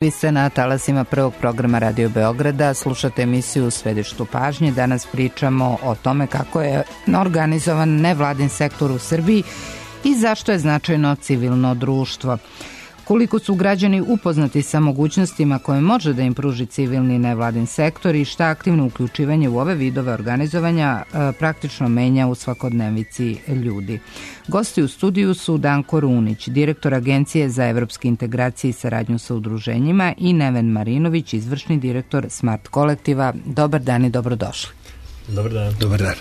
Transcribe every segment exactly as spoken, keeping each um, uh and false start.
Vi ste na talasima prvog programa Radio Beograda, slušate emisiju U središtu pažnje. Danas pričamo o tome kako je organizovan nevladin sektor u Srbiji i zašto je značajno civilno društvo. Koliko su građani upoznati sa mogućnostima koje može da im pruži civilni nevladin sektor i šta aktivno uključivanje u ove vidove organizovanja e, praktično menja u svakodnevici ljudi. Gosti u studiju su Danko Runić, direktor Agencije za evropske integracije i saradnju sa udruženjima, i Neven Marinović, izvršni direktor Smart kolektiva. Dobar dan i dobrodošli. Dobar dan. Dobar dan.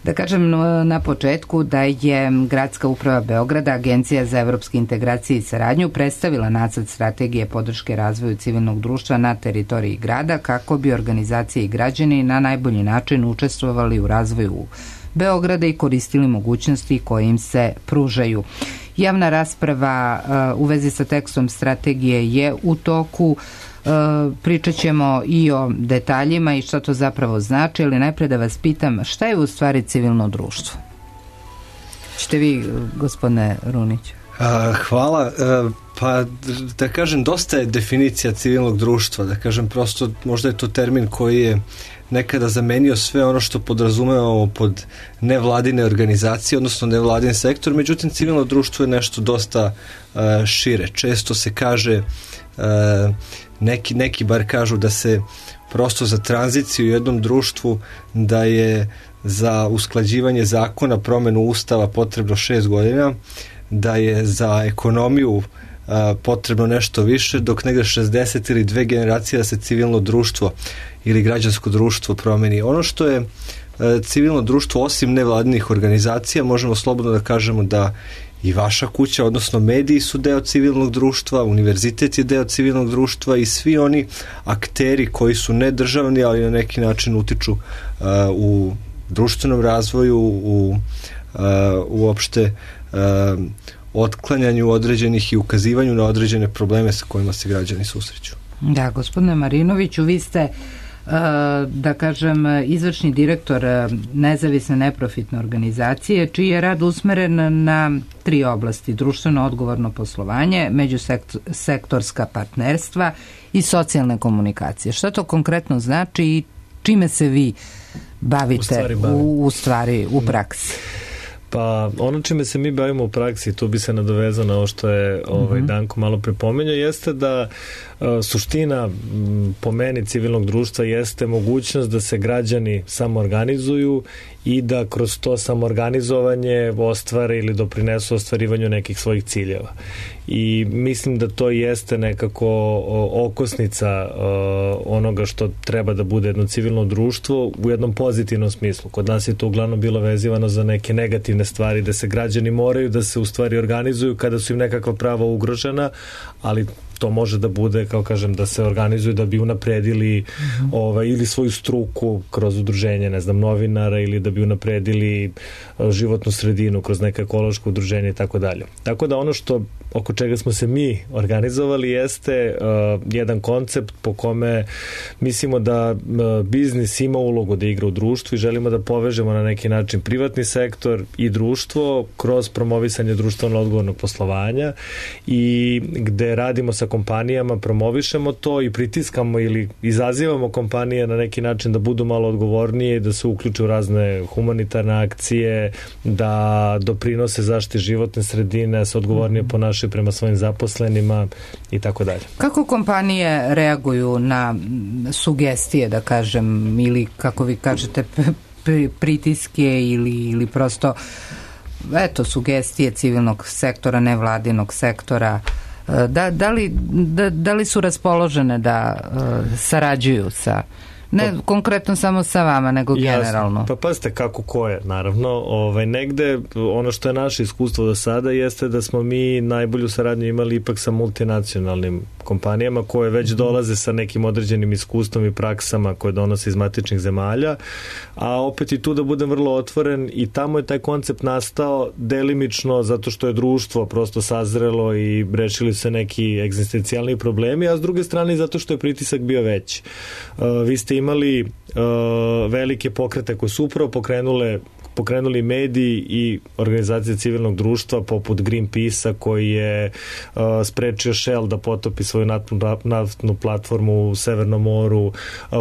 Da kažem na početku da je Gradska uprava Beograda, Agencija za evropske integracije i saradnju, predstavila nacrt strategije podrške razvoju civilnog društva na teritoriji grada kako bi organizacije i građani na najbolji način učestvovali u razvoju Beograda i koristili mogućnosti koje im se pružaju. Javna rasprava uh, u vezi sa tekstom strategije je u toku. Uh, pričat ćemo i o detaljima i šta to zapravo znači, ali najpre da vas pitam šta je u stvari civilno društvo? Čete vi, gospodine Runić? A, hvala. A, pa da kažem, dosta je definicija civilnog društva. Da kažem, prosto možda je to termin koji je nekada zamenio sve ono što podrazumevamo pod nevladine organizacije, odnosno nevladin sektor. Međutim, civilno društvo je nešto dosta a, šire. Često se kaže, a, neki, neki bar kažu da se prosto za tranziciju u jednom društvu, da je za usklađivanje zakona, promenu ustava potrebno šest godina, da je za ekonomiju a, potrebno nešto više, dok negde šezdeset ili dve generacije da se civilno društvo ili građansko društvo promeni. Ono što je a, civilno društvo, osim nevladinih organizacija, možemo slobodno da kažemo da i vaša kuća, odnosno mediji su deo civilnog društva, univerzitet je deo civilnog društva i svi oni akteri koji su nedržavni, ali na neki način utiču uh, u društvenom razvoju, u uh, uopšte uh, otklanjanju određenih i ukazivanju na određene probleme sa kojima se građani susreću. Da, gospodine Marinoviću, vi ste da kažem izvršni direktor nezavisne neprofitne organizacije čiji je rad usmeren na tri oblasti: društveno odgovorno poslovanje, međusektorska partnerstva i socijalne komunikacije. Šta to konkretno znači i čime se vi bavite u stvari, u, u, stvari, u praksi? Pa ono čime se mi bavimo u praksi, tu bi se nadovezao na ovo što je ovaj, mm-hmm. Danko malo prepomenuo, jeste da uh, suština m, po meni civilnog društva jeste mogućnost da se građani samoorganizuju i da kroz to samoorganizovanje ostvare ili doprinesu ostvarivanju nekih svojih ciljeva. I mislim da to jeste nekako okosnica uh, onoga što treba da bude jedno civilno društvo u jednom pozitivnom smislu. Kod nas je to uglavnom bilo vezivano za neke negativne stvari, da se građani moraju da se u stvari organizuju kada su im nekakva prava ugrožena, ali to može da bude, kao kažem, da se organizuju da bi unapredili mm-hmm. ovaj, ili svoju struku kroz udruženje, ne znam, novinara, ili da bi unapredili životnu sredinu kroz neka ekološko udruženje i tako dalje. Tako da ono što oko čega smo se mi organizovali jeste uh, jedan koncept po kome mislimo da uh, biznis ima ulogu da igra u društvu i želimo da povežemo na neki način privatni sektor i društvo kroz promovisanje društveno odgovornog poslovanja i gde radimo sa kompanijama, promovišemo to i pritiskamo ili izazivamo kompanije na neki način da budu malo odgovornije i da se uključe u razne humanitarne akcije, da doprinose zaštiti životne sredine, se odgovornije ponašaju prema svojim zaposlenima i tako dalje. Kako kompanije reaguju na sugestije, da kažem, ili kako vi kažete pritiske ili, ili prosto eto, sugestije civilnog sektora, nevladinog sektora? Da, da, li, da, da li su raspoložene da uh, sarađuju sa, ne pa, konkretno samo sa vama, nego jasno, generalno? Pa pazite kako ko je, naravno. Ovaj, negde, ono što je naše iskustvo do sada jeste da smo mi najbolju saradnju imali ipak sa multinacionalnim kompanijama koje već dolaze sa nekim određenim iskustvom i praksama koje donose iz matičnih zemalja, a opet i tu da budem vrlo otvoren, i tamo je taj koncept nastao delimično zato što je društvo prosto sazrelo i rešili se neki egzistencijalni problemi, a s druge strane zato što je pritisak bio veći. Uh, vi ste imali uh, velike pokrete koje su upravo pokrenule pokrenuli mediji i organizacije civilnog društva poput Greenpeace-a koji je uh, sprečio Shell da potopi svoju naftnu, naftnu platformu u Severnom moru, uh,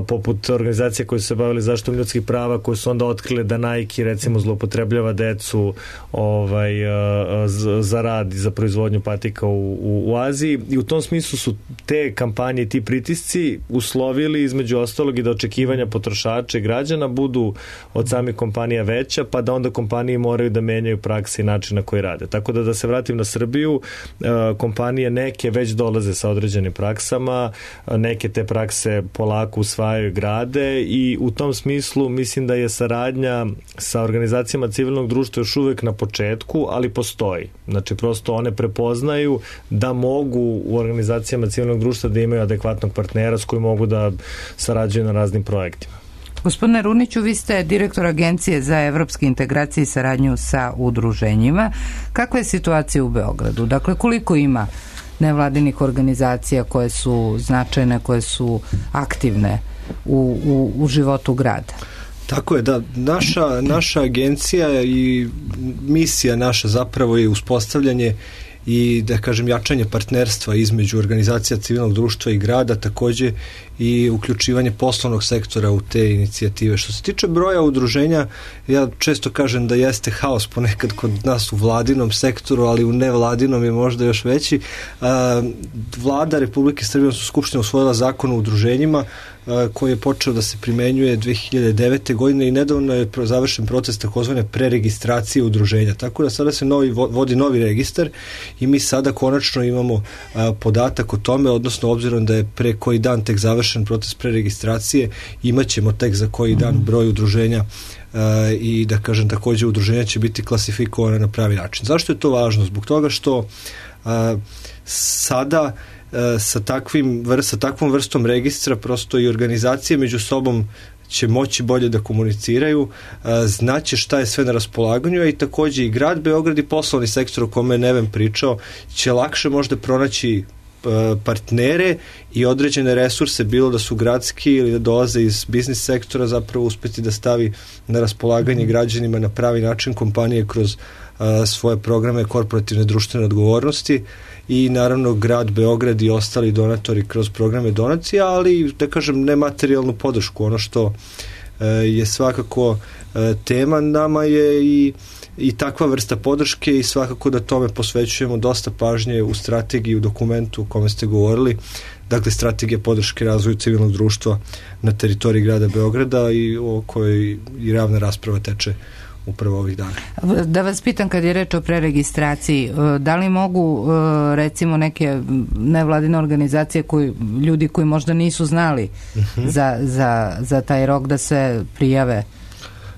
poput organizacije koje su se bavili zaštitom ljudskih prava, koje su onda otkrile da Nike recimo zloupotrebljava decu ovaj, uh, za rad i za proizvodnju patika u, u, u Aziji, i u tom smislu su te kampanje i ti pritisci uslovili između ostalog i da očekivanja potrošača i građana budu od samih kompanija veća, pa da onda kompanije moraju da menjaju prakse i način na koji rade. Tako da da se vratim na Srbiju, kompanije neke već dolaze sa određenim praksama, neke te prakse polako usvajaju i grade, i u tom smislu mislim da je saradnja sa organizacijama civilnog društva još uvek na početku, ali postoji. Znači prosto one prepoznaju da mogu u organizacijama civilnog društva da imaju adekvatnog partnera s kojim mogu da sarađuju na raznim projektima. Gospodine Runiću, vi ste direktor Agencije za evropske integracije i saradnju sa udruženjima. Kakva je situacija u Beogradu? Dakle, koliko ima nevladinih organizacija koje su značajne, koje su aktivne u, u, u životu grada? Tako je, da. Naša, naša agencija i misija naša zapravo je uspostavljanje i, da kažem, jačanje partnerstva između organizacija civilnog društva i grada, takođe i uključivanje poslovnog sektora u te inicijative. Što se tiče broja udruženja, ja često kažem da jeste haos ponekad kod nas u vladinom sektoru, ali u nevladinom je možda još veći. Vlada Republike Srbije, odnosno Skupština, usvojila zakon o udruženjima koji je počeo da se primenjuje dve hiljade devete. godine i nedavno je završen proces takozvane preregistracije udruženja. Tako da sada se novi, vodi novi registar i mi sada konačno imamo podatak o tome, odnosno obzirom da je pre koji dan tek završen proces preregistracije, imaćemo tek za koji dan broj udruženja uh, i, da kažem, takođe udruženja će biti klasifikovana na pravi način. Zašto je to važno? Zbog toga što uh, sada uh, sa, takvim, sa takvom vrstom registra prosto i organizacije među sobom će moći bolje da komuniciraju, uh, znaće šta je sve na raspolaganju, a i takođe i grad Beograd i poslovni sektor o kome je Neven pričao će lakše možda pronaći partnere i određene resurse, bilo da su gradski ili da dolaze iz biznis sektora, zapravo uspeti da stavi na raspolaganje građanima na pravi način kompanije kroz uh, svoje programe korporativne društvene odgovornosti i naravno grad Beograd i ostali donatori kroz programe donacija, ali, da kažem, nematerijalnu podršku. Ono što uh, je svakako uh, tema nama je i i takva vrsta podrške i svakako da tome posvećujemo dosta pažnje u strategiji, u dokumentu o kome ste govorili, dakle strategija podrške razvoju civilnog društva na teritoriji grada Beograda i o kojoj i javna rasprava teče upravo ovih dana. Da vas pitam, kad je reč o preregistraciji, da li mogu recimo neke nevladine organizacije, koji, ljudi koji možda nisu znali uh-huh. za, za, za taj rok da se prijave?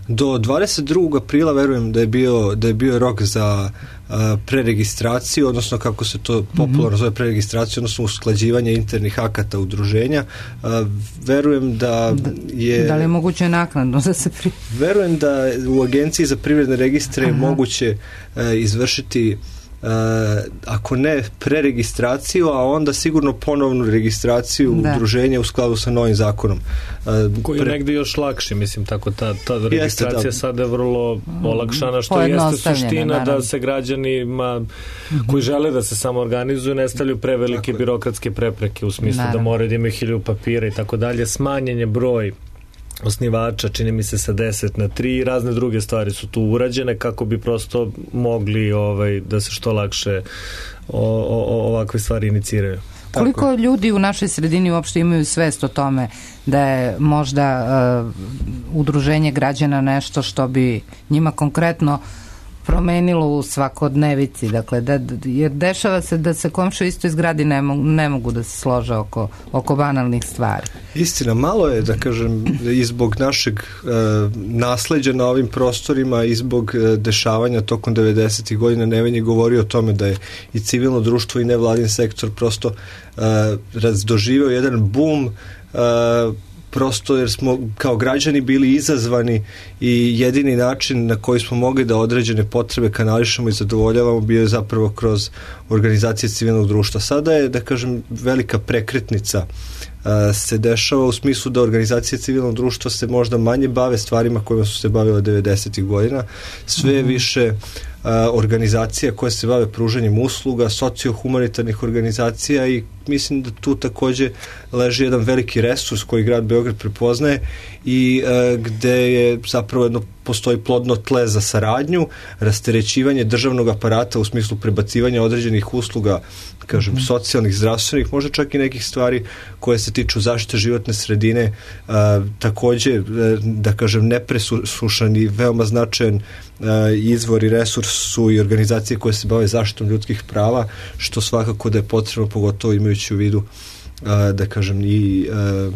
Do dvadeset drugog aprila verujem da je bio, da je bio rok za uh, preregistraciju, odnosno kako se to popularno mm-hmm. zove preregistraciju, odnosno usklađivanje internih akata udruženja. Uh, verujem da je... Da li je moguće naknadno da se pri... Verujem da u Agenciji za privredne registre je moguće uh, izvršiti Uh, ako ne preregistraciju, a onda sigurno ponovnu registraciju da. udruženja u skladu sa novim zakonom. Uh, Koji je pre... negde još lakši, mislim, tako ta, ta registracija jeste, da. sada je vrlo olakšana, što jeste suština naravno. Da se građanima mm-hmm. koji žele da se samo organizuju ne stavljaju prevelike birokratske prepreke u smislu naravno. Da moraju da imaju hiljadu papira i tako dalje. Smanjen je broj osnivača, čini mi se sa deset na tri i razne druge stvari su tu urađene kako bi prosto mogli ovaj, da se što lakše o, o, ovakve stvari iniciraju. Koliko Tako. ljudi u našoj sredini uopšte imaju svest o tome da je možda uh, udruženje građana nešto što bi njima konkretno promenilo u svakodnevici, dakle, da, jer dešava se da se komšije isto izgradi ne, mo, ne mogu da se slože oko, oko banalnih stvari. Istina, malo je, da kažem, i zbog našeg e, nasleđa na ovim prostorima i zbog e, dešavanja tokom devedesetih godina. Neven je govorio o tome da je i civilno društvo i nevladin sektor prosto e, razdoživeo jedan bum e, prosto jer smo kao građani bili izazvani i jedini način na koji smo mogli da određene potrebe kanališemo i zadovoljavamo bio je zapravo kroz organizacije civilnog društva. Sada je, da kažem, velika prekretnica se dešava u smislu da organizacije civilnog društva se možda manje bave stvarima kojima su se bavile devedesetih godina, sve mm-hmm. više organizacija koje se bave pružanjem usluga, sociohumanitarnih organizacija i mislim da tu takođe leži jedan veliki resurs koji grad Beograd prepoznaje i e, gde je zapravo jedno postoji plodno tle za saradnju, rasterećivanje državnog aparata u smislu prebacivanja određenih usluga, kažem, mm-hmm. socijalnih, zdravstvenih, možda čak i nekih stvari koje se tiču zaštite životne sredine, e, takođe, da kažem, nepresušan i veoma značajan e, izvor i resurs su i organizacije koje se bave zaštitom ljudskih prava, što svakako da je potrebno, pogotovo imajući u vidu a, da kažem i a,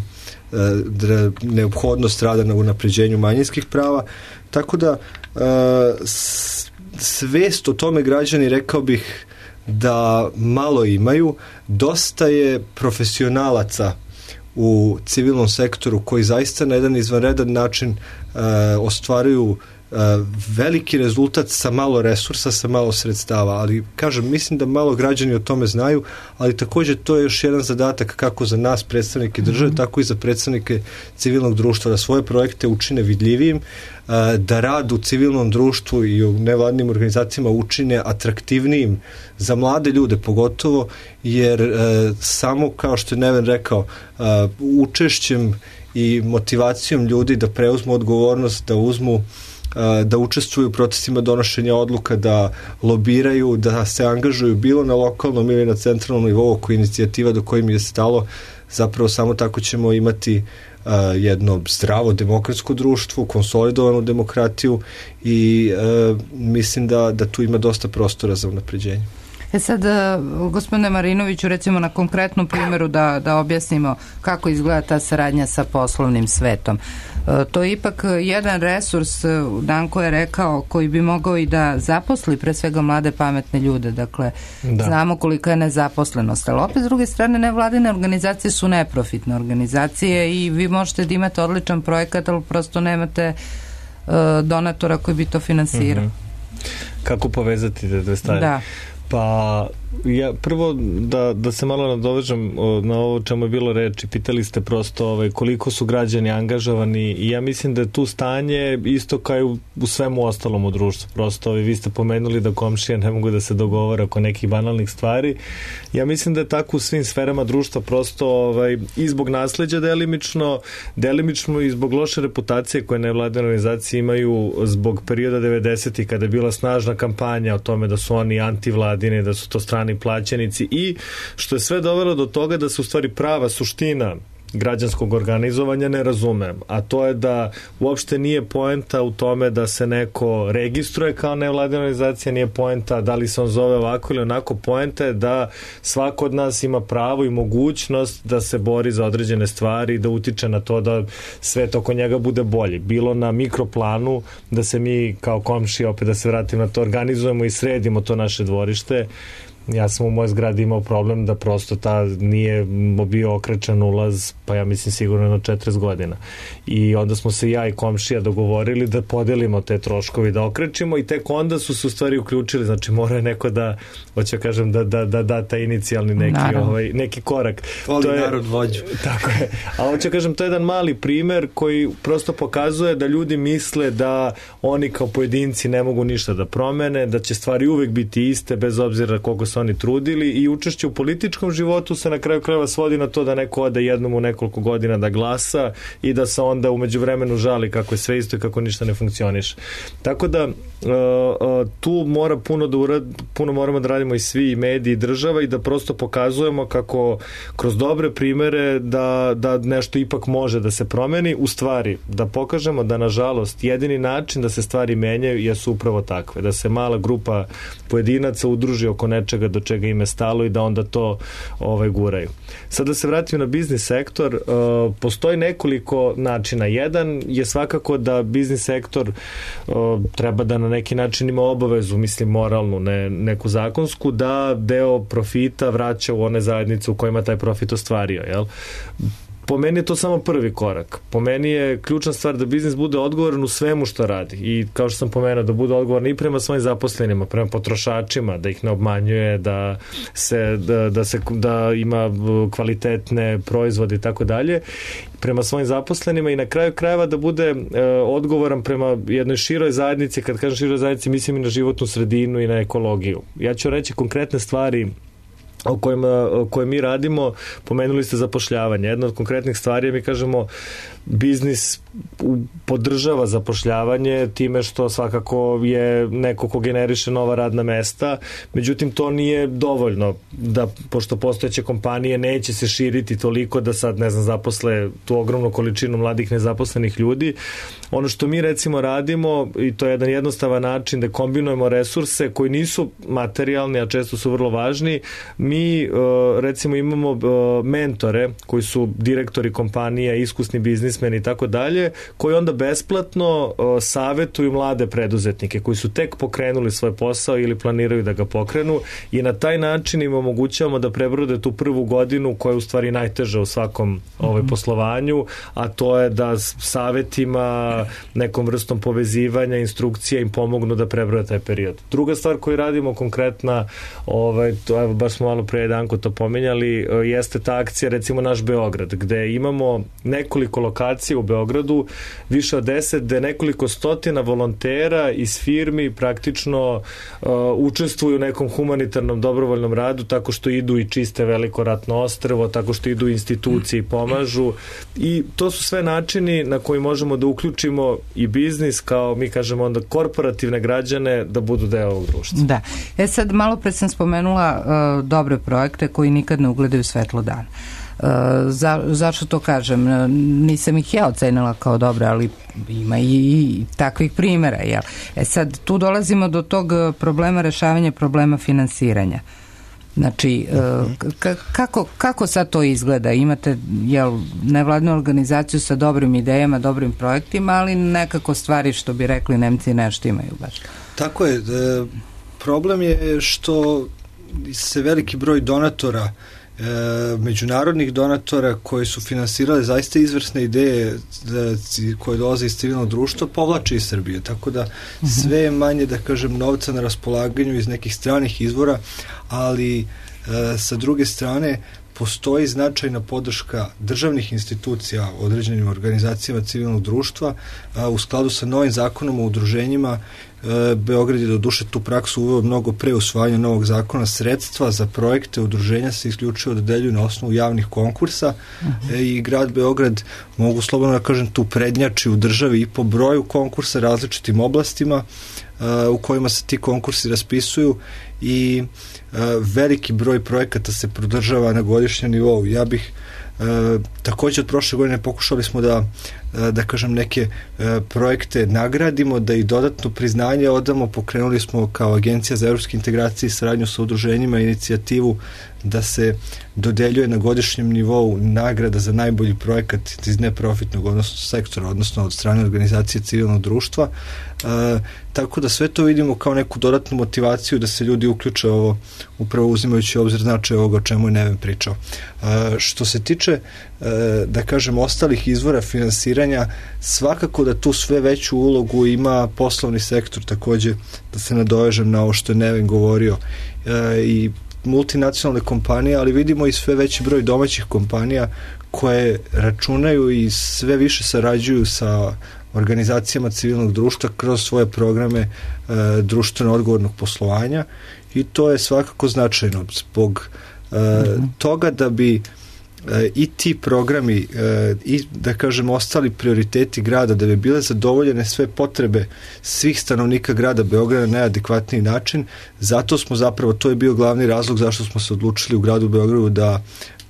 a, da neophodnost rada na unapređenju manjinskih prava, tako da a, s, svest o tome građani, rekao bih da malo imaju. Dosta je profesionalaca u civilnom sektoru koji zaista na jedan izvanredan način a, ostvaruju veliki rezultat sa malo resursa, sa malo sredstava, ali kažem, mislim da malo građani o tome znaju, ali takođe to je još jedan zadatak kako za nas predstavnike države, mm-hmm. tako i za predstavnike civilnog društva, da svoje projekte učine vidljivijim, da rad u civilnom društvu i u nevladnim organizacijama učine atraktivnijim za mlade ljude pogotovo, jer samo, kao što je Neven rekao, učešćem i motivacijom ljudi da preuzmu odgovornost, da uzmu da učestvuju u procesima donošenja odluka, da lobiraju, da se angažuju bilo na lokalnom ili na centralnom nivou oko inicijativa do kojim je stalo, zapravo samo tako ćemo imati uh, jedno zdravo demokratsko društvo, konsolidovanu demokratiju i uh, mislim da, da tu ima dosta prostora za unapređenje. E sad, gospodine Marinoviću, recimo na konkretnom primjeru da, da objasnimo kako izgleda ta saradnja sa poslovnim svetom. E, to je ipak jedan resurs, Danko je rekao, koji bi mogao i da zaposli pre svega mlade pametne ljude. Dakle, da. Znamo kolika je nezaposlenost, ali opet s druge strane nevladine organizacije su neprofitne organizacije i vi možete da imate odličan projekat, ali prosto nemate e, donatora koji bi to finansirao. Mm-hmm. Kako povezati te dve stvari? Da. Pa, ja prvo da, da se malo nadovežem na ovo čemu je bilo reči. Pitali ste prosto ovaj, koliko su građani angažovani i ja mislim da je tu stanje isto kao i u, u svemu ostalom u društvu. Prosto ovaj, vi ste pomenuli da komšije ne mogu da se dogovore oko nekih banalnih stvari. Ja mislim da je tako u svim sferama društva, prosto ovaj, i zbog nasleđa delimično, delimično i zbog loše reputacije koje nevladine organizacije imaju zbog perioda devedesetih kada je bila snažna kampanja o tome da su oni antivladine, da su to strani plaćenici i što je sve dovelo do toga da se u stvari prava suština građanskog organizovanja ne razumem, a to je da uopšte nije poenta u tome da se neko registruje kao nevladina organizacija, nije poenta da li se on zove ovako ili onako, poenta je da svako od nas ima pravo i mogućnost da se bori za određene stvari, da utiče na to da svet oko njega bude bolji. Bilo na mikroplanu, da se mi kao komšije, opet da se vratim na to, organizujemo i sredimo to naše dvorište. Ja sam u mojoj zgradi imao problem da prosto ta nije bio okrečan ulaz, pa ja mislim sigurno na četrdeset godina. I onda smo se ja i komšija dogovorili da podelimo te troškovi, da okrečimo i tek onda su se u stvari uključili, znači mora je neko da, hoću kažem, da da, da, da ta inicijalni neki, ovaj, neki korak. Voli to je, narod vođu. Tako je. A hoću kažem, to je jedan mali primer koji prosto pokazuje da ljudi misle da oni kao pojedinci ne mogu ništa da promene, da će stvari uvek biti iste bez obzira koliko se oni trudili i učešće u političkom životu se na kraju krajeva svodi na to da neko ode jednom u nekoliko godina da glasa i da se onda umeđu vremenu žali kako je sve isto i kako ništa ne funkcioniše. Tako da uh, uh, tu mora puno da urad, puno moramo da radimo i svi i mediji i država i da prosto pokazujemo kako kroz dobre primere da, da nešto ipak može da se promeni, u stvari da pokažemo da nažalost jedini način da se stvari menjaju jesu upravo takve, da se mala grupa pojedinaca udruži oko nečega do čega im je stalo i da onda to ovaj, guraju. Sad da se vratim na biznis sektor, uh, postoji nekoliko načina. Jedan je svakako da biznis sektor uh, treba da na neki način ima obavezu, mislim moralnu, ne, neku zakonsku, da deo profita vraća u one zajednice u kojima taj profit ostvario, jel? po meni je to samo prvi korak. Po meni je ključna stvar da biznis bude odgovoran u svemu što radi i kao što sam pomenuo, da bude odgovoran i prema svojim zaposlenima, prema potrošačima, da ih ne obmanjuje, da se, da, da se da ima kvalitetne proizvode i tako dalje, prema svojim zaposlenima i na kraju krajeva da bude e, odgovoran prema jednoj široj zajednici. Kad kažem široj zajednici, mislim i na životnu sredinu i na ekologiju. Ja ću reći konkretne stvari o kojima, o koje mi radimo. Pomenuli ste zapošljavanje. Jedna od konkretnih stvari je, mi kažemo, biznis podržava zapošljavanje time što svakako je neko ko generiše nova radna mesta, međutim to nije dovoljno, da pošto postojeće kompanije neće se širiti toliko da sad, ne znam, zaposle tu ogromnu količinu mladih nezaposlenih ljudi. Ono što mi recimo radimo, i to je jedan jednostavan način da kombinujemo resurse koji nisu materijalni, a često su vrlo važni. Mi recimo imamo mentore koji su direktori kompanija, iskusni biznismeni i tako dalje, koji onda besplatno uh, savetuju mlade preduzetnike koji su tek pokrenuli svoj posao ili planiraju da ga pokrenu, i na taj način im omogućavamo da prebrode tu prvu godinu koja je u stvari najteža u svakom ovaj, poslovanju, a to je da savetima, nekom vrstom povezivanja, instrukcija im pomognu da prebrode taj period. Druga stvar koju radimo konkretna, ovaj, to, evo, baš smo malo pre jedanko to pomenjali, uh, jeste ta akcija, recimo Naš Beograd, gde imamo nekoliko lokacija u Beogradu, više od deset, gde nekoliko stotina volontera iz firmi praktično uh, učestvuju u nekom humanitarnom dobrovoljnom radu, tako što idu i čiste Veliko ratno ostrvo, tako što idu u institucije i pomažu, i to su sve načini na koji možemo da uključimo i biznis, kao mi kažemo onda korporativne građane, da budu deo ovog društva. Da. E sad, malo pre sam spomenula uh, dobre projekte koji nikad ne ugledaju svetlo dana. Uh, za, zašto to kažem? Nisam ih ja ocenila kao dobre, ali ima i, i takvih primjera, jel? E sad, tu dolazimo do tog problema rešavanja problema finansiranja. Znači, uh, kako, kako sad to izgleda? Imate, jel, nevladnu organizaciju sa dobrim idejama, dobrim projektima, ali nekako stvari, što bi rekli Nemci, nešto imaju baš. Tako je. E, problem je što se veliki broj donatora, E, međunarodnih donatora koji su finansirali zaista izvrsne ideje da, koje dolaze iz civilnog društva, povlače iz Srbije, tako da sve je manje, da kažem, novca na raspolaganju iz nekih stranih izvora, ali e, sa druge strane postoji značajna podrška državnih institucija određenim organizacijama civilnog društva. A, u skladu sa novim zakonom o udruženjima, e, Beograd je do duše tu praksu uveo mnogo pre usvajanja novog zakona. Sredstva za projekte udruženja se isključivo dodeljuju na osnovu javnih konkursa. Uh-huh. e, i grad Beograd, mogu slobodno da kažem, tu prednjači u državi i po broju konkursa različitim oblastima e, u kojima se ti konkursi raspisuju, i e, veliki broj projekata se prodržava na godišnjem nivou. Ja bih e, također od prošle godine pokušali smo da e, da kažem neke e, projekte nagradimo, da i dodatno priznanje odamo. Pokrenuli smo kao Agencija za evropske integracije i saradnju sa udruženjima inicijativu da se dodeljuje na godišnjem nivou nagrada za najbolji projekat iz neprofitnog odnosno sektora, odnosno od strane organizacije civilnog društva. E, tako da sve to vidimo kao neku dodatnu motivaciju da se ljudi uključe ovo, upravo uzimajući obzir značaj ovoga o čemu je Neven pričao. E, što se tiče, e, da kažem, ostalih izvora finansiranja, svakako da tu sve veću ulogu ima poslovni sektor, takođe da se nadovežem na ovo što je Neven govorio, e, i multinacionalne kompanije, ali vidimo i sve veći broj domaćih kompanija koje računaju i sve više sarađuju sa organizacijama civilnog društva kroz svoje programe e, društveno odgovornog poslovanja, i to je svakako značajno zbog e, mm-hmm. toga da bi e, i ti programi e, i, da kažem, ostali prioriteti grada, da bi bile zadovoljene sve potrebe svih stanovnika grada Beograda na najadekvatniji način. Zato smo zapravo, to je bio glavni razlog zašto smo se odlučili u gradu Beogradu da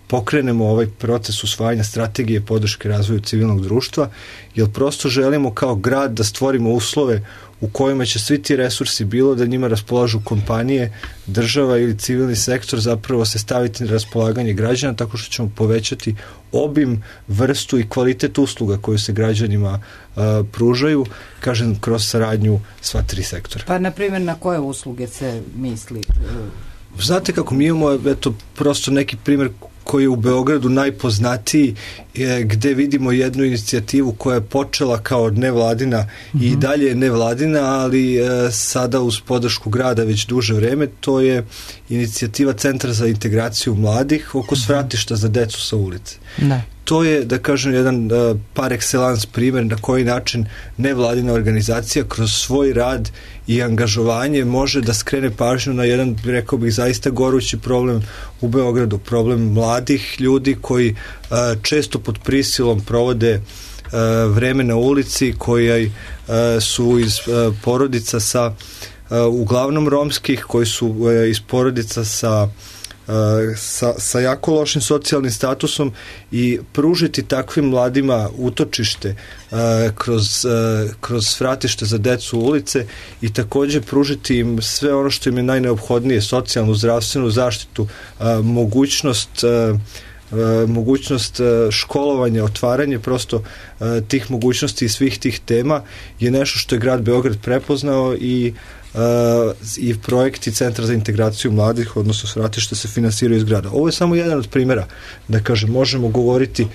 pokrenemo ovaj proces usvajanja strategije podrške razvoju civilnog društva, jer prosto želimo kao grad da stvorimo uslove u kojima će svi ti resursi, bilo da njima raspolažu kompanije, država ili civilni sektor, zapravo se staviti na raspolaganje građana, tako što ćemo povećati obim, vrstu i kvalitet usluga koju se građanima uh, pružaju, kažem, kroz saradnju sva tri sektora. Pa, na primjer, na koje usluge se misli? Znate kako, mi imamo, eto, prosto neki primjer koji je u Beogradu najpoznatiji, je, gde vidimo jednu inicijativu koja je počela kao nevladina mm-hmm. i dalje je nevladina, ali e, sada uz podršku grada već duže vreme. To je inicijativa Centra za integraciju mladih oko svratišta za decu sa ulice. Da. To je, da kažem, jedan uh, par excellence primjer na koji način nevladina organizacija kroz svoj rad i angažovanje može da skrene pažnju na jedan, rekao bih, zaista gorući problem u Beogradu, problem mladih ljudi koji uh, često pod prisilom provode uh, vreme na ulici, koji uh, su iz uh, porodica sa uh, uglavnom romskih, koji su uh, iz porodica sa Sa, sa jako lošim socijalnim statusom, i pružiti takvim mladima utočište uh, kroz, uh, kroz svratište za decu ulice i također pružiti im sve ono što im je najneophodnije, socijalnu, zdravstvenu zaštitu, uh, mogućnost uh, Uh, mogućnost uh, školovanja, otvaranje prosto uh, tih mogućnosti i svih tih tema je nešto što je grad Beograd prepoznao i Uh, i projekti Centra za integraciju mladih, odnosno svratište, se finansiraju iz grada. Ovo je samo jedan od primjera, da kažem, možemo govoriti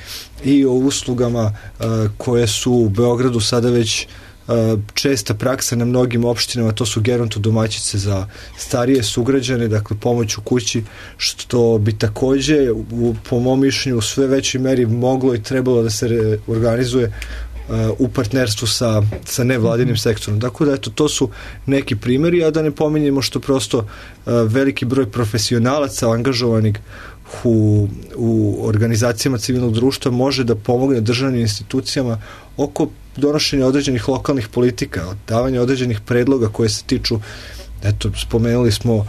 i o uslugama uh, koje su u Beogradu sada već uh, česta praksa na mnogim opštinama. To su gerontodomaćice za starije sugrađane, dakle pomoć u kući, što bi također u, po mom mišljenju u sve većoj meri moglo i trebalo da se organizuje u partnerstvu sa, sa nevladinim sektorom. Dakle, da, eto, to su neki primjeri, a da ne pominjemo što prosto uh, veliki broj profesionalaca angažovanih u, u organizacijama civilnog društva može da pomogne državnim institucijama oko donošenja određenih lokalnih politika, davanja određenih predloga koje se tiču, eto, spomenuli smo uh,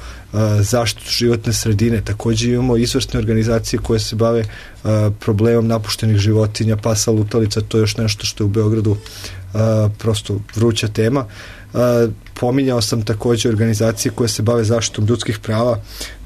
zaštitu životne sredine, također imamo izvrsne organizacije koje se bave uh, problemom napuštenih životinja, pasa lutalica, to je još nešto što je u Beogradu uh, prosto vruća tema. Uh, pominjao sam također organizacije koje se bave zaštitom ljudskih prava.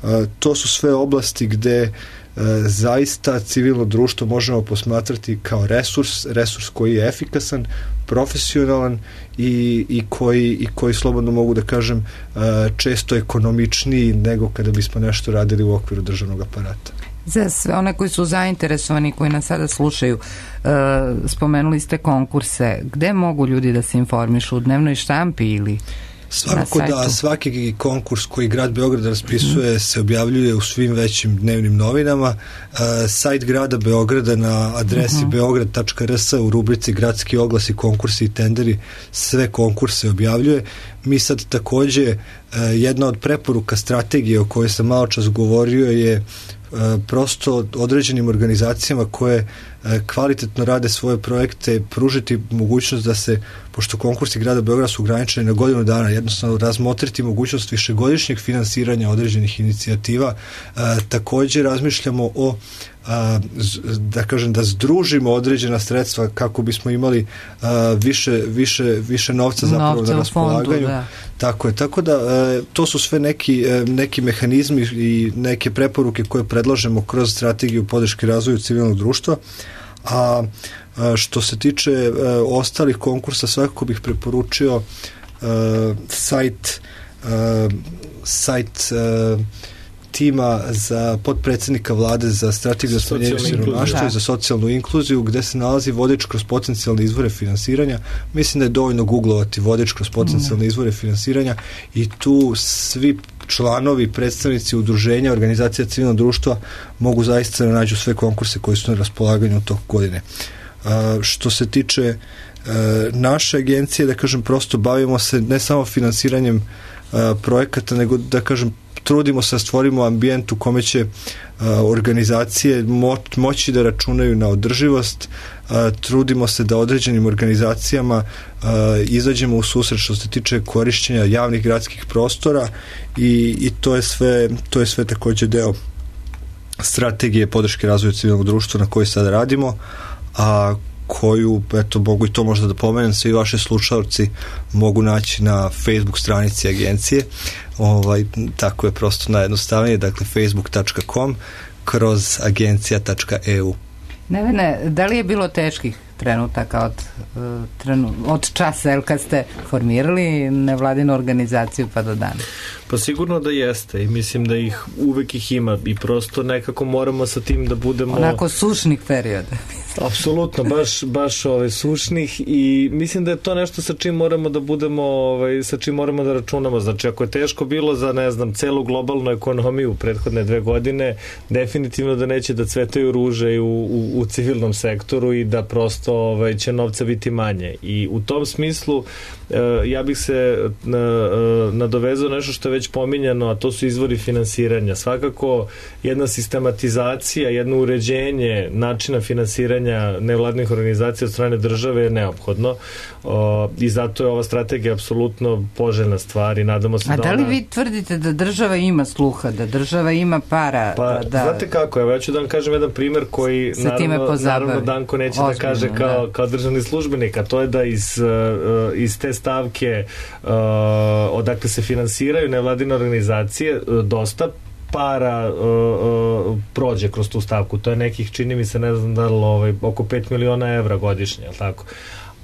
Uh, to su sve oblasti gde uh, zaista civilno društvo možemo posmatrati kao resurs, resurs koji je efikasan, profesionalan i, i, koji, i koji slobodno mogu da kažem uh, često ekonomičniji nego kada bismo nešto radili u okviru državnog aparata. Za sve one koji su zainteresovani, koji nas sada slušaju, uh, spomenuli ste konkurse. Gde mogu ljudi da se informišu? U dnevnoj štampi ili Svakako da svaki konkurs koji grad Beograd raspisuje mm-hmm. se objavljuje u svim većim dnevnim novinama. Uh, sajt grada Beograda na adresi mm-hmm. beograd tačka er es u rubrici gradski oglasi, konkursi i tenderi sve konkurse objavljuje. Mi sad također uh, jedna od preporuka strategije o kojoj sam malo čas govorio je uh, prosto određenim organizacijama koje uh, kvalitetno rade svoje projekte pružiti mogućnost da se, pošto konkursi grada Beograda su ograničeni na godinu dana, jednostavno razmotriti mogućnost višegodišnjeg finansiranja određenih inicijativa. Uh, također razmišljamo o a, da kažem da združimo određena sredstva kako bismo imali a, više, više, više novca zapravo novca na raspolaganju. Fondu, da. Tako je, tako da a, to su sve neki, a, neki mehanizmi i neke preporuke koje predlažemo kroz strategiju podrške razvoju civilnog društva. A, a što se tiče a, ostalih konkursa, svakako bih preporučio a, sajt a, sajt a, tima za potpredsjednika vlade za strategiju za smanjenje siromaštva i za socijalnu inkluziju, gde se nalazi vodič kroz potencijalne izvore finansiranja. Mislim da je dovoljno googlovati vodič kroz potencijalne izvore finansiranja i tu svi članovi, predstavnici udruženja, organizacija civilnog društva mogu zaista da nađu sve konkurse koji su na raspolaganju tog godine. Uh, što se tiče uh, naše agencije, da kažem, prosto bavimo se ne samo finansiranjem uh, projekata, nego da kažem trudimo se da stvorimo ambijent u kome će uh, organizacije mo- moći da računaju na održivost. Uh, trudimo se da određenim organizacijama uh, izađemo u susret što se tiče korišćenja javnih gradskih prostora i, i to je sve, to je sve također deo strategije podrške razvoju civilnog društva na kojoj sada radimo, a koju, eto, mogu i to možda da pomenem, svi vaši slušalci mogu naći na Facebook stranici agencije. Ovaj, tako je prosto najjednostavnije, dakle facebook tačka com kroz agencija tačka e u. Nevene, da li je bilo teških trenutaka od, trenu, od časa, jel, kad ste formirali nevladinu organizaciju pa do dana? Pa sigurno da jeste i mislim da ih uvek ih ima i prosto nekako moramo sa tim da budemo... Onako sušnih perioda. Apsolutno, baš, baš ove, sušnih i mislim da je to nešto sa čim moramo da budemo, ovaj, sa čim moramo da računamo. Znači, ako je teško bilo za, ne znam, celu globalnu ekonomiju u prethodne dve godine, definitivno da neće da cvetaju ruže i u, u, u civilnom sektoru i da prosto ovaj, će novca biti manje. I u tom smislu eh, ja bih se na, nadovezao nešto što je već pominjano, a to su izvori finansiranja. Svakako jedna sistematizacija, jedno uređenje načina finansiranja nevladnih organizacija od strane države je neophodno o, i zato je ova strategija apsolutno poželjna stvar i nadamo se A da da li ona... vi tvrdite da država ima sluha, da država ima para? Pa, da, da... znate kako, evo ja ću da vam kažem jedan primer koji naravno, naravno Danko neće Ozbiljno, da kaže kao, da. kao državni službenik, a to je da iz, uh, iz te stavke uh, odakle se finansiraju nevladine organizacije uh, dosta para uh, uh, prođe kroz tu stavku. To je nekih, čini mi se, ne znam da li ovaj, oko pet miliona evra godišnje, je li tako?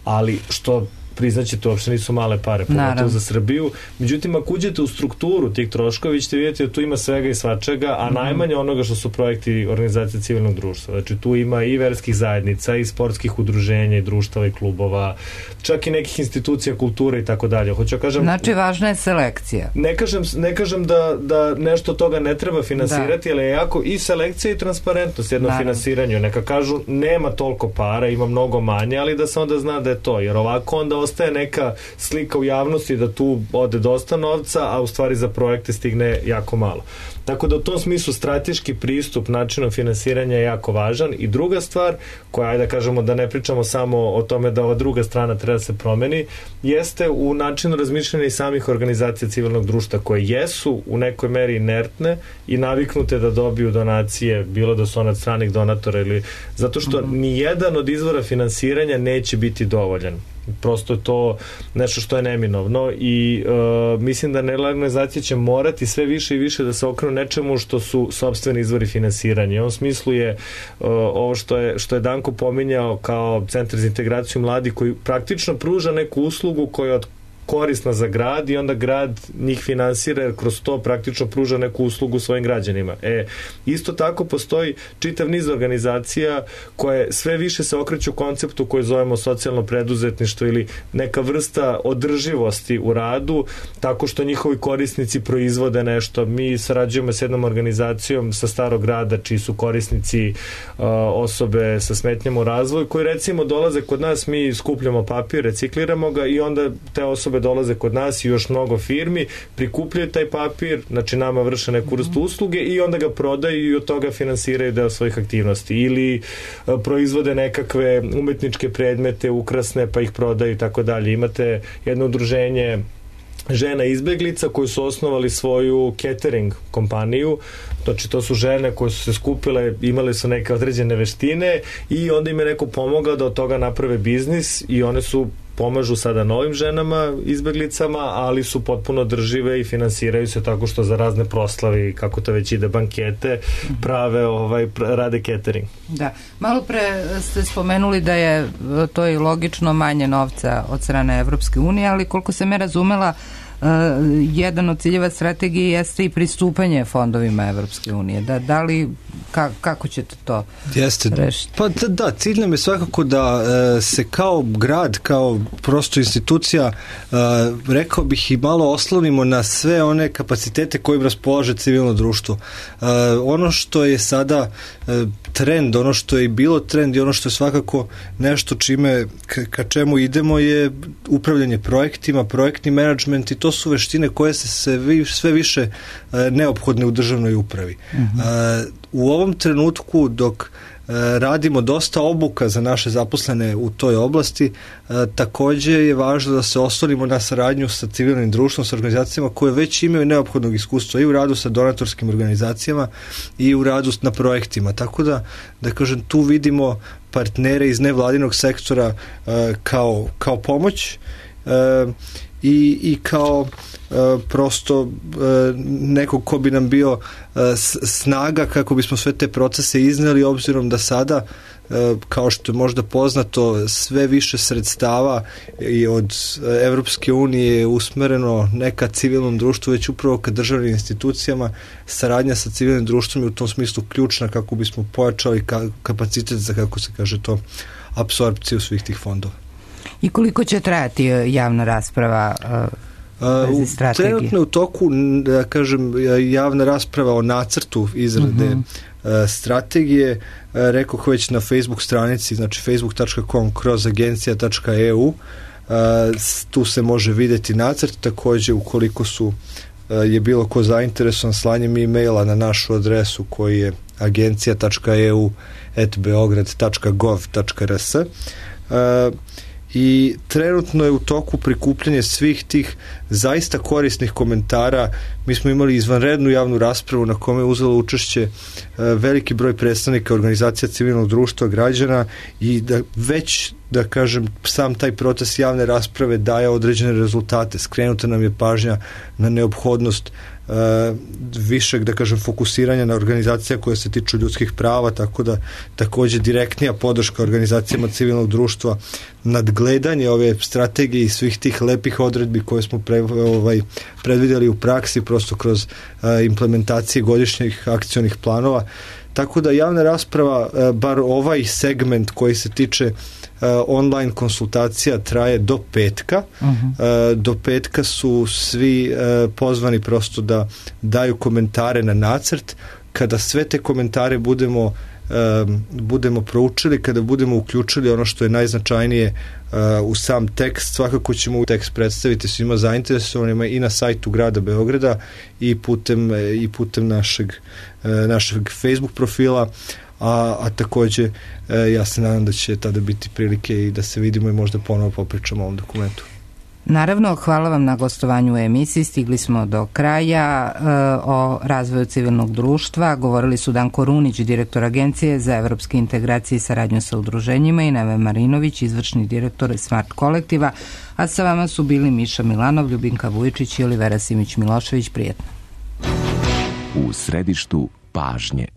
Ali što priznaće, to uopšte nisu male pare, pogotovo za Srbiju. Međutim, ako uđete u strukturu tih troškova, vi ćete vidjeti da tu ima svega i svačega, a mm-hmm. najmanje onoga što su projekti organizacije civilnog društva. Znači, tu ima i verskih zajednica, i sportskih udruženja, i društava, i klubova, čak i nekih institucija kulture i tako dalje. Hoću kažem... Znači, važna je selekcija. Ne kažem, ne kažem da, da nešto toga ne treba finansirati, da. ali je jako i selekcija i transparentnost jedno Naravno. finansiranju. Neka kažu, nema toliko para, ima mnogo manje, ali da se onda zna da je to. Jer ovako onda ostaje neka slika u javnosti da tu ode dosta novca, a u stvari za projekte stigne jako malo. Tako da u tom smislu strateški pristup načinom finansiranja je jako važan. I druga stvar, koja, ajde da kažemo da ne pričamo samo o tome da ova druga strana treba da se promeni, jeste u načinu razmišljanja i samih organizacija civilnog društva koje jesu u nekoj meri inertne i naviknute da dobiju donacije, bilo da su one od stranih donatora ili... Zato što mm-hmm. ni jedan od izvora finansiranja neće biti dovoljan. Prosto je to nešto što je neminovno i uh, mislim da nevladine organizacije će morati sve više i više da se okrenu nečemu što su sopstveni izvori finansiranja. U ovom smislu je uh, ovo što je, što je Danko pominjao kao Centar za integraciju mladih koji praktično pruža neku uslugu koja od korisna za grad i onda grad njih finansira jer kroz to praktično pruža neku uslugu svojim građanima. E, isto tako postoji čitav niz organizacija koje sve više se okreću konceptu koji zovemo socijalno preduzetništvo ili neka vrsta održivosti u radu tako što njihovi korisnici proizvode nešto. Mi sarađujemo s jednom organizacijom sa Starog grada čiji su korisnici uh, osobe sa smetnjama u razvoju koji recimo dolaze kod nas, mi skupljamo papir, recikliramo ga i onda te osobe dolaze kod nas i još mnogo firmi, prikupljaju taj papir, znači nama vrše neku vrstu usluge i onda ga prodaju i od toga finansiraju deo svojih aktivnosti. Ili a, proizvode nekakve umetničke predmete, ukrasne, pa ih prodaju i tako dalje. Imate jedno udruženje žena izbeglica koji su osnovali svoju catering kompaniju, znači to su žene koje su se skupile, imale su neke određene veštine i onda im je neko pomogao da od toga naprave biznis i one su pomažu sada novim ženama, izbeglicama, ali su potpuno držive i finansiraju se tako što za razne proslave i kako to već ide bankete, prave ovaj, rade catering. Da. Malo pre ste spomenuli da je to i logično manje novca od strane Evropske unije, ali koliko sam je razumela, Uh, jedan od ciljeva strategije jeste i pristupanje fondovima Evropske unije. Da, da li, ka, kako ćete to jeste. rešiti? Pa da, da, cilj nam je svakako da uh, se kao grad, kao prosto institucija, uh, rekao bih i malo oslonimo na sve one kapacitete kojim raspolaže civilno društvo. Uh, ono što je sada uh, trend, ono što je bilo trend i ono što je svakako nešto čime, ka, ka čemu idemo je upravljanje projektima, projektni menadžment i to su veštine koje se, se vi, sve više uh, neophodne u državnoj upravi. Uh-huh. Uh, u ovom trenutku dok uh, radimo dosta obuka za naše zaposlene u toj oblasti, uh, takođe je važno da se oslonimo na saradnju sa civilnim društvom, sa organizacijama koje već imaju neophodnog iskustva i u radu sa donatorskim organizacijama i u radu na projektima. Tako da, da kažem, tu vidimo partnere iz nevladinog sektora uh, kao, kao pomoć uh, i, i kao e, prosto e, neko ko bi nam bio e, snaga kako bismo sve te procese izneli, obzirom da sada, kao što je možda poznato, sve više sredstava i od Evropske unije je usmereno ne ka civilnom društvu, već upravo ka državnim institucijama. Saradnja sa civilnim društvom je u tom smislu ključna kako bismo pojačali ka, kapacitet za, kako se kaže to, apsorpciju svih tih fondova. I koliko će trajati javna rasprava uh, vezi strategije? Trenutno je u toku, da kažem, javna rasprava o nacrtu izrade uh-huh. strategije, rekoh već na Facebook stranici, znači facebook tačka com kroz agencija tačka e u, tu se može vidjeti nacrt. Također, ukoliko su je bilo ko zainteresovan, slanjem e-maila na našu adresu koji je agencija tačka e u at beograd tačka gov tačka r s. I trenutno je u toku prikupljanje svih tih zaista korisnih komentara. Mi smo imali izvanrednu javnu raspravu na kome je uzelo učešće veliki broj predstavnika organizacija civilnog društva, građana, i da već, da kažem, sam taj proces javne rasprave daje određene rezultate. Skrenuta nam je pažnja na neophodnost Uh, višeg, da kažem, fokusiranja na organizacija koje se tiču ljudskih prava, tako da također direktnija podrška organizacijama civilnog društva, nadgledanje ove strategije i svih tih lepih odredbi koje smo pre, ovaj, predvidjeli u praksi, prosto kroz uh, implementacije godišnjih akcionih planova. Tako da javna rasprava, uh, bar ovaj segment koji se tiče Uh, online konsultacija, traje do petka. Uh-huh. Uh, do petka su svi uh, pozvani prosto da daju komentare na nacrt. Kada sve te komentare budemo uh, budemo proučili, kada budemo uključili ono što je najznačajnije uh, u sam tekst, svakako ćemo u tekst predstaviti svima zainteresovanima i na sajtu grada Beograda i putem, i putem našeg, uh, našeg Facebook profila. A, a također e, ja se nadam da će tada biti prilike i da se vidimo i možda ponovo popričamo o ovom dokumentu. Naravno, hvala vam na gostovanju u emisiji. Stigli smo do kraja e, o razvoju civilnog društva. Govorili su Danko Runić, direktor Agencije za evropske integracije i saradnju sa udruženjima, i Neve Marinović, izvršni direktor Smart kolektiva, a sa vama su bili Miša Milanov, Ljubinka Vujičić i Olivera Simić-Milošević. Prijetno. U središtu pažnje.